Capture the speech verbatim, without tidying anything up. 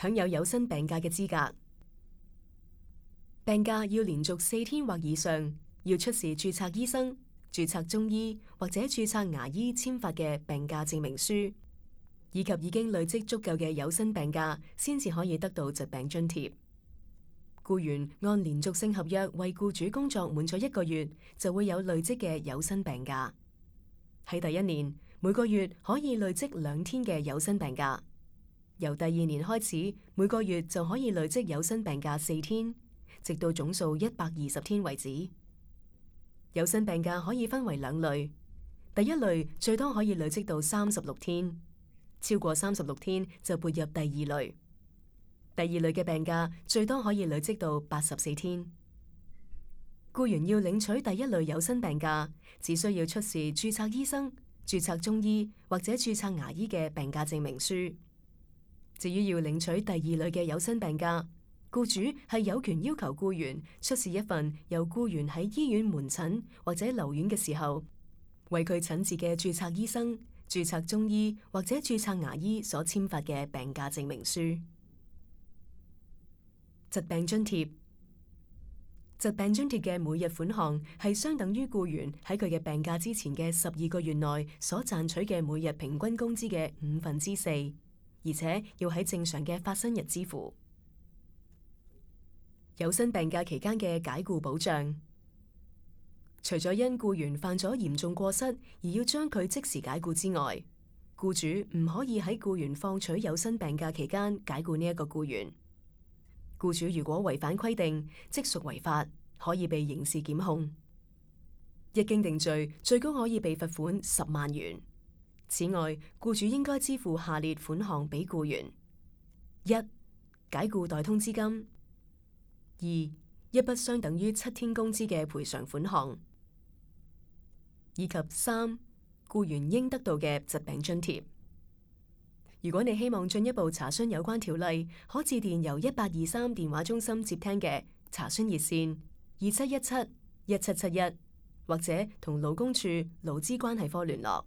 享有有薪病假嘅資格。病假要連續四天或以上，要出示註冊醫生、註冊中醫或者註冊牙醫簽發嘅病假證明書，以及已經累積足夠嘅有薪病假，先至可以得到疾病津貼。僱員按連續性合約為僱主工作滿咗一個月，就會有累積嘅有薪病假。喺第一年，每個月可以累積兩天嘅有薪病假；由第二年開始，每個月就可以累積有薪病假四天，直到總數一百二十天為止。有薪病假可以分為兩類，第一類最多可以累積到三十六天，超過三十六天就撥入第二類。第二類嘅病假最多可以累積到八十四天。僱員要領取第一類有薪病假，只需要出示註冊醫生、註冊中醫或者註冊牙醫嘅病假證明書。至於要領取第二類嘅有薪病假，僱主係有權要求僱員出示一份由僱員喺醫院門診或者留院嘅時候，為佢診治嘅註冊醫生、註冊中醫或者註冊牙醫所簽發嘅病假證明書。疾病津貼，疾病津貼嘅每日款項係相等於僱員喺佢嘅病假之前嘅十二個月內所賺取嘅每日平均工資嘅五分之四，而且要喺正常嘅發生日支付。有薪病假期間嘅解僱保障，除咗因僱員犯咗嚴重過失而要將佢即時解僱之外，僱主唔可以喺僱員放取有薪病假期間解僱呢一個僱員。僱主如果違反規定，即屬違法，可以被刑事檢控。一經定罪，最高可以被罰款十萬元。此外，僱主應該支付下列款項俾僱員：一、解僱代通知金；二、一筆相等於七天工資嘅賠償款項；以及三、僱員應得到嘅疾病津貼。如果你希望進一步查詢有關條例，可致電由一八二三電話中心接聽嘅查詢熱線二七一七一七七一，或者同勞工處勞資關係科聯絡。